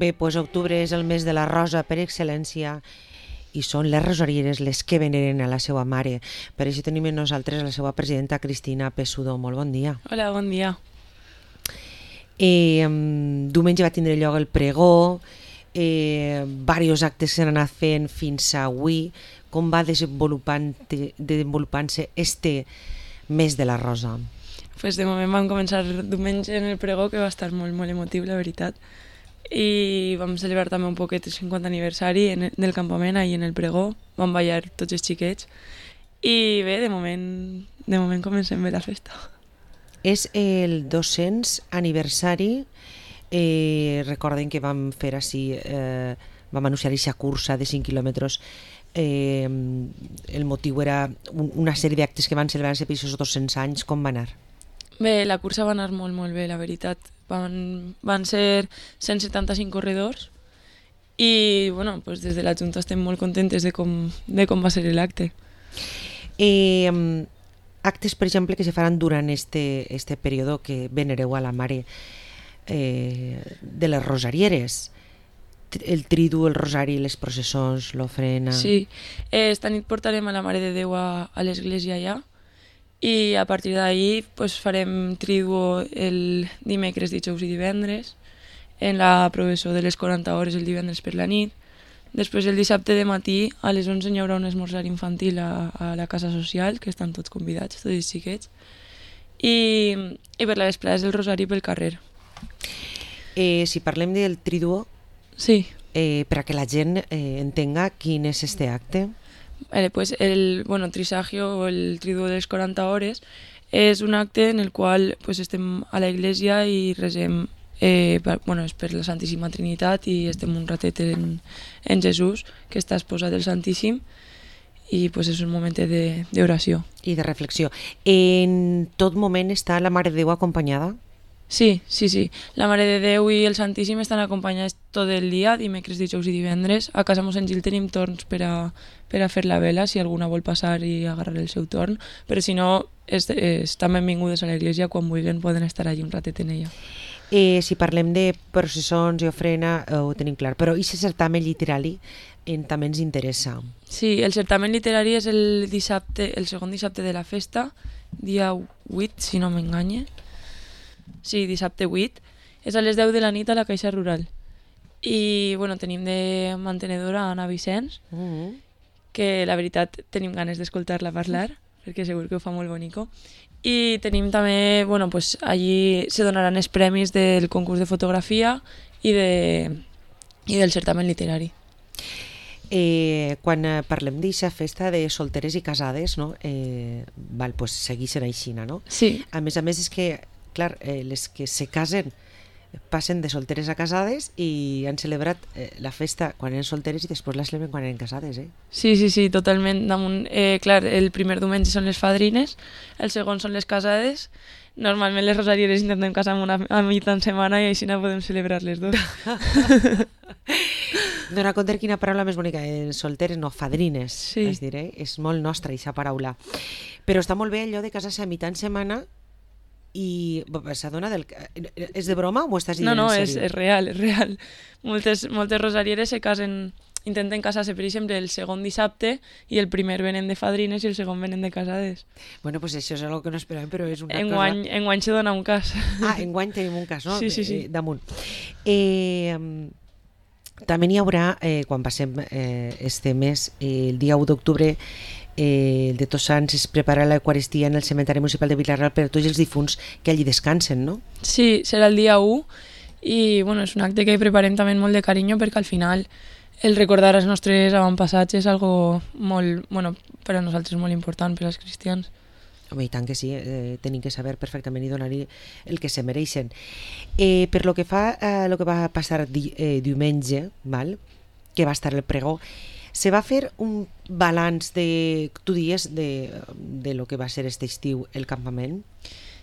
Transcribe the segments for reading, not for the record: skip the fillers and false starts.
Bé, doncs octubre és el mes de la rosa per excel·lència i són les rosarieres les que veneren a la seva mare. Per això tenim amb nosaltres la seva presidenta Cristina Pessudo. Molt bon dia. Hola, bon dia. Diumenge va tindre lloc el pregó, diversos actes s'han anat fent fins a avui. Com va desenvolupant-se este mes de la rosa? Pues de moment vam començar diumenge en el pregó, que va estar molt, molt emotiu, la veritat. I vam celebrar també un poquet el 50 aniversari del campament, ahir en el pregó. Vam ballar tots els xiquets. I bé, de moment comencem bé la festa. És el 200 aniversari. Recorden que vam fer així, vam anunciar aquesta cursa de 5 quilòmetres. El motiu era una sèrie d'actes que van celebrar-se per aquests 200 anys. Com va anar? Bé, la cursa va anar molt, molt bé, la veritat. Van ser 175 corredors i bueno, pues des de la Junta estem molt contentes de com va ser l'acte. Actes, per exemple, que se faran durant este període que venereu a la mare de les rosarieres. El tridu, el rosari, les processons, l'ofrena... Sí, esta nit portarem a la Mare de Déu a l'església allà i a partir d'ahir pues, farem tridu el dimecres, dijous i divendres, en la processó de les 40 hores el divendres per la nit. Després el dissabte de matí a les 11 hi haurà un esmorzar infantil a la casa social, que estan tots convidats, tots els xiquets, i per la vesprada és el rosari pel carrer. Si parlem del triduo, sí. Per a que la gent entenga quin és este acte. Pues el trisagio o el triduo de les 40 hores és un acte en el qual pues, estem a la iglesia i resem és per la Santíssima Trinitat i estem un ratet en Jesús, que està esposat del Santíssim, i pues, és un moment d'oració. I de reflexió. En tot moment està la Mare de Déu acompanyada? Sí. La Mare de Déu i el Santíssim estan acompanyats tot el dia, dimecres, dijous i divendres. A casa Mossèn Gil tenim torns per a fer la vela, si alguna vol passar i agarrar el seu torn, però si no, estan benvingudes a l'església, quan vulguin poden estar allí un ratet en ella. Si parlem de processons i ofrena, ho tenim clar, però i aquest certamen literari també ens interessa. Sí, el certamen literari és el segon dissabte de la festa, dia 8, si no m'enganye. Sí, dissabte 8, és a les 10 de la nit a la Caixa Rural. I tenim de mantenedora Anna Vicenç, que la veritat tenim ganes d'escoltar-la parlar, perquè segur que ho fa molt bonico. I tenim també, allí se donaran els premis del concurs de fotografia i del certamen literari. Quan parlem d'aquesta festa de solteres i casades, no? Segueixen així, no? Sí. A més és que, clar, les que se casen passen de solteres a casades i han celebrat la festa quan eren solteres i després la celebren quan eren casades, Sí, totalment. Clar, el primer diumenge són les fadrines, el segon són les casades. Normalment les rosarieres intentem casar a mitja setmana i així no podem celebrar les dos. Dona compte quina paraula més bonica, solteres, no, fadrines, sí. És dir, és molt nostra aquesta paraula. Però està molt bé allò de casar-se a mitja setmana i s'adona és de broma o ho estàs dient en sèrio? No, és real, és real. Moltes rosarieres intenten casar-se, per exemple, el segon dissabte i el primer venen de fadrines i el segon venen de casades. Bueno, pues això és algo que no esperàvem, però és una cosa... Enguany se dona un cas. Enguany tenim un cas, no? Sí. Damunt. També n'hi haurà, quan passem este mes, el dia 1 d'octubre, el de Tots Sants, es prepara l'Eucaristia en el cementeri municipal de Vilareal per a tots els difunts que allí descansen, no? Sí, serà el dia 1 i és un acte que preparem també molt de carinyo perquè al final el recordar els nostres avantpassats és algo molt, per a nosaltres molt important, per als cristians. Home, i tant que sí, tenim que saber perfectament i donar-hi el que se mereixen. Per lo que fa a lo que va passar diumenge, que va estar el pregó, se va fer un balanç tu dies, de lo que va ser este estiu el campament?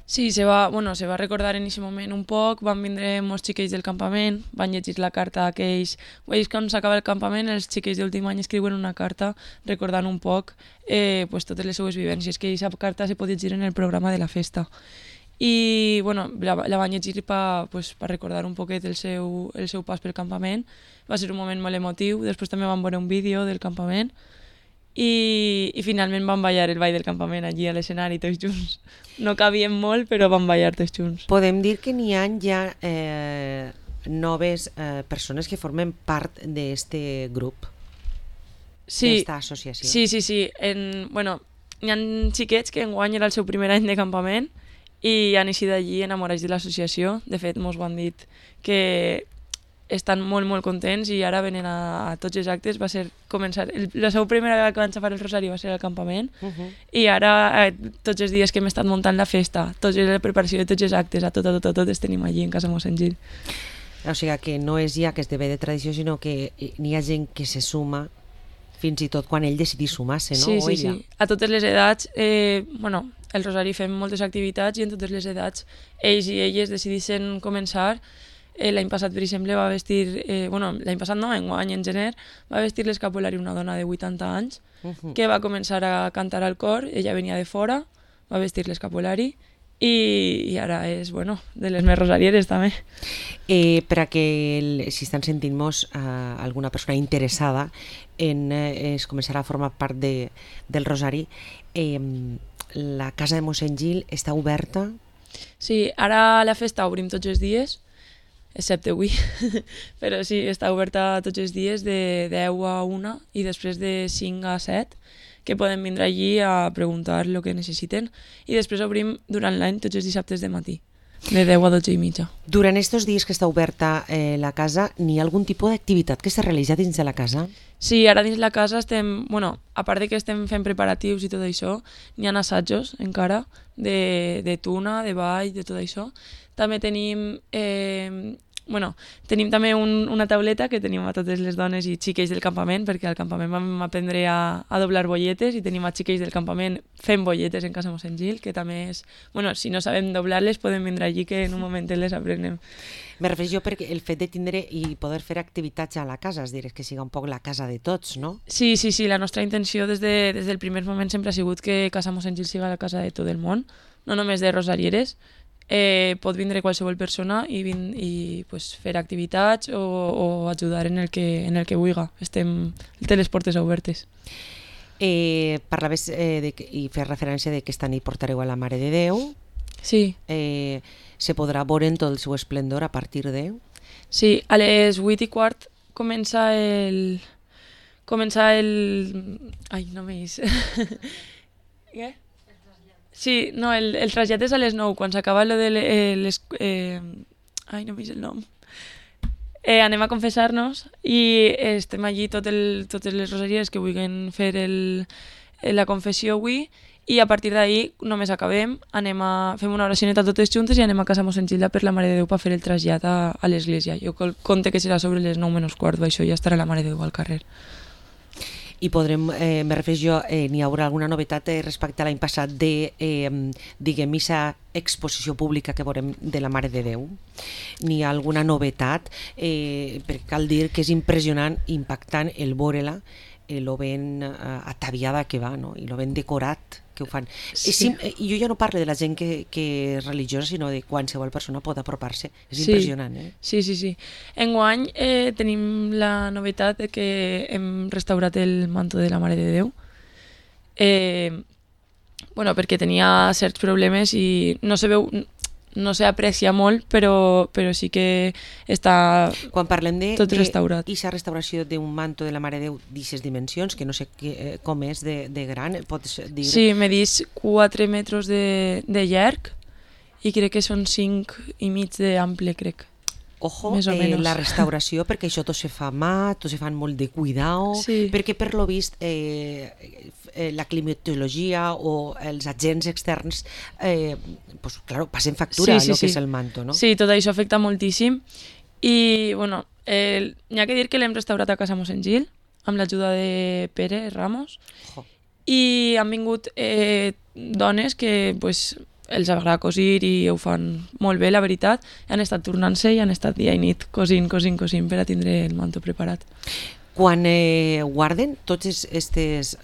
Sí, se va recordar en aquest moment un poc, van vindre molts xiquets del campament, van llegir la carta aquells... Veus quan s'acaba el campament, els xiquets d'últim any escriuen una carta recordant un poc totes les seues vivències, que aquesta carta se pot llegir en el programa de la festa. i bueno, la van llegir per recordar un poquet el seu pas pel campament. Va ser un moment molt emotiu, després també vam veure un vídeo del campament i finalment vam ballar el ball del campament allí a l'escenari tots junts. No cabíem molt, però vam ballar tots junts. Podem dir que n'hi ha ja noves persones que formen part d'aquest grup, d'esta associació. Sí. Bueno, hi ha xiquets que enguany era el seu primer any de campament i han eixit d'allí enamorats de l'associació. De fet, mos ho han dit que estan molt contents i ara venen a tots els actes. Va ser començar... La seva primera vegada que van xafar el rosari va ser al campament i ara tots els dies que hem estat muntant la festa, tota la preparació de tots els actes, a tot els tenim allí en casa Mossèn Gil. O sigui que no és ja que esdevé de tradició, sinó que n'hi ha gent que se suma fins i tot quan ell decidís sumar-se, no? Sí. A totes les edats, bueno, el Rosari fem moltes activitats i en totes les edats ells i elles decidissin començar. L'any passat, per exemple, va vestir... bueno, l'any passat no, enguany, en gener, va vestir l'escapulari una dona de 80 anys que va començar a cantar al cor, ella venia de fora, va vestir l'escapulari i ara és, bueno, de les més rosarieres també. Per a que si estan sentint-nos alguna persona interessada en començar a formar part del Rosari, la casa de Mossèn Gil està oberta? Sí, ara la festa obrim tots els dies, excepte avui, però sí, està oberta tots els dies de 10 a 1 i després de 5 a 7, que poden vindre allí a preguntar el que necessiten, i després obrim durant l'any tots els dissabtes de matí, de 10 a 12 i mitja. Durant aquests dies que està oberta la casa, n'hi ha algun tipus d'activitat que s'ha realitzat dins de la casa? Sí, ara dins la casa estem, bueno, a part de que estem fent preparatius i tot això, n'hi ha assajos encara de tuna, de ball, de tot això. També tenim tenim també una tauleta que tenim a totes les dones i xiquets del campament, perquè al campament vam aprendre a doblar bolletes i tenim a xiquets del campament fent bolletes en casa Mossèn Gil, que també és... Bueno, si no sabem doblar-les podem vindre allí que en un moment les aprenem. Me refereixo perquè el fet de tindre i poder fer activitats a la casa, és dir, que siga un poc la casa de tots, no? Sí, la nostra intenció des del primer moment sempre ha sigut que casa Mossèn Gil siga la casa de tot el món, no només de rosarieres. Pot vindre qualsevol persona i pues, fer activitats o ajudar en el que vulgui. Té les portes obertes. Parlaves i fer referència de que esta nit portareu a la Mare de Déu. Sí. Se podrà veure en tot el seu esplendor a partir de... Sí, a les 8:15 comença el... Ai, no m'he vist. Què? Sí, no, el trasllat és a les 9, quan s'acaba lo de les... Ai, no m'he vist el nom. Anem a confessar-nos i estem allí totes les rosaries que vulguin fer la confessió avui i a partir d'ahir només acabem, fem una oracioneta totes juntes i anem a casa Mossèn Gil per la Mare de Déu per fer el trasllat a l'església. Jo compte que serà sobre les 9:15, això ja estarà la Mare de Déu al carrer. I podrem, me refereixo, n'hi haurà alguna novetat respecte a l'any passat de, diguem, aquesta exposició pública que veurem de la Mare de Déu? N'hi ha alguna novetat? Perquè cal dir que és impressionant, impactant el veure-la, lo ben ataviada que va, no? I lo ben decorat que ho fan. Sí. Jo ja no parlo de la gent que és religiosa, sinó de qualsevol persona pot apropar-se. És impressionant, eh? Sí. Enguany tenim la novetat de que hem restaurat el manto de la Mare de Déu. Bueno, perquè tenia certs problemes i no se veu... No s'aprecia molt, però sí que està quan parlem tot restaurat. Aquesta restauració d'un manto de la Mare de Déu d'aquestes dimensions, que no sé com és de gran, pots dir? Sí, medís 4 metres de llarg i crec que són 5,5 d'ample, crec. Ojo, la restauració, perquè això tot se fa a mà, tot se fan molt de cuidao, sí. Perquè per lo vist la climatologia o els agents externs pues, claro, passen factura sí, el que és el manto, no? Sí, tot això afecta moltíssim i bueno, n'hi ha que dir que l'hem restaurat a casa Mossèn Gil amb l'ajuda de Pere Ramos. I han vingut dones que pues, els agrada cosir i ho fan molt bé, la veritat. Han estat tornant-se i han estat dia i nit cosint per a tindre el manto preparat. Quan guarden tots aquests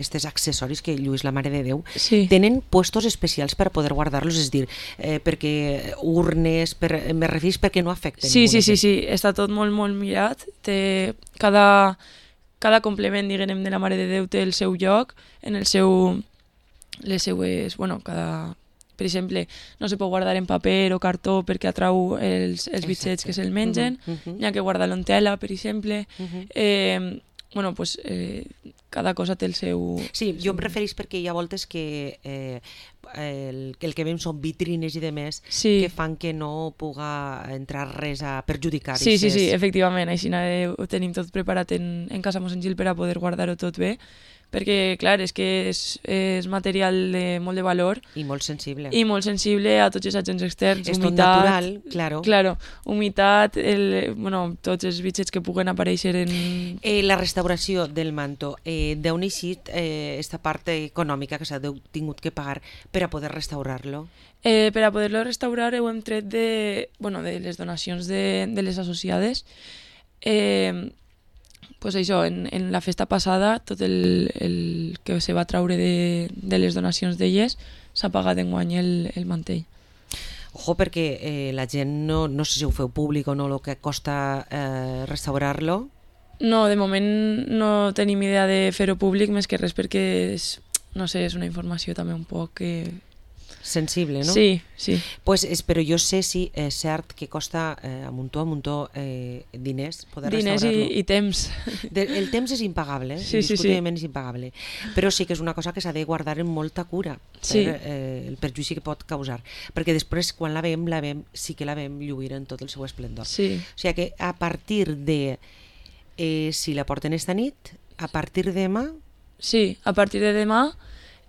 estos accessoris que lluís la Mare de Déu, Sí. tenen puestos especials per a poder guardar-los, és a dir, perquè urnes, me referís perquè no afecten. Sí, està tot molt, molt mirat. Té cada complement, diguem, de la Mare de Déu té el seu lloc, en el seu... les seues... Bueno, per exemple, no se pot guardar en paper o cartó perquè atrau els bitxets que se'l mengen, n'hi ha que guardar-lo en tela, per exemple. Bueno, pues, cada cosa té el seu... Sí, jo em referís perquè hi ha voltes que el que veiem són vitrines i demés que fan que no puga entrar res a perjudicar. Sí, efectivament, així ho tenim tot preparat en casa Mossèn Gil per a poder guardar-ho tot bé, perquè, clar, és que és material de molt de valor. I molt sensible. I molt sensible a tots els agents externs. És tot natural, claro. Claro, humitat, tots els bitxets que puguen aparèixer en... La restauració del manto, d'on ha eixit esta part econòmica que s'ha tingut que pagar per a poder restaurar-lo? Per a poder-lo restaurar ho hem tret de les donacions de les associades. Pues això, en la festa passada tot el que se va traure de les donacions d'elles s'ha pagat enguany el mantell. Ojo, perquè la gent no sé si ho feu públic o no, el que costa restaurar-lo. No, de moment no tenim idea de fer-ho públic, més que res perquè és una informació també un poc sensible, no? Sí. Pues, però jo sé si és cert que costa a muntó diners poder restaurar-lo. Diners i temps. El temps és impagable, indiscutiblement és impagable, però sí que és una cosa que s'ha de guardar amb molta cura per el perjudici que pot causar, perquè després quan la veiem sí que la veiem lluir en tot el seu esplendor. Sí. O sigui que a partir de si la porten esta nit, a partir de demà... Sí, a partir de demà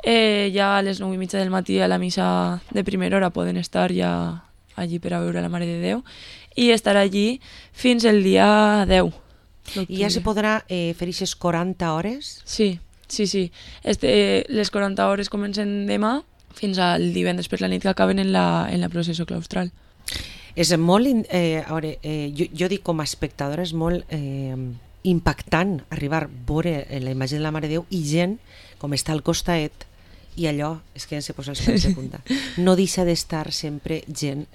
ja a les 9:30 del matí a la missa de primera hora poden estar ja allí per a veure la Mare de Déu i estar allí fins el dia 10. I ja se podrà fer aquestes 40 hores? Sí. Les 40 hores comencen demà fins al divendres per la nit que acaben en la processó claustral. És molt... jo dic com a espectadora, és molt impactant arribar a veure la imatge de la Mare de Déu i gent com està al costat i allò, és que se posa els pèls de punta. No deixa d'estar sempre gent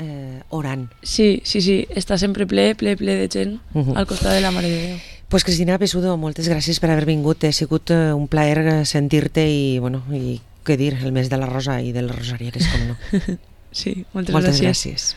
orant. Sí, està sempre ple de gent al costat de la Mare de Déu. Pues Cristina Pesudo, moltes gràcies per haver vingut. Ha sigut un plaer sentir-te i què dir, el mes de la Rosa i de les rosarieres, com no. Sí, moltes gràcies.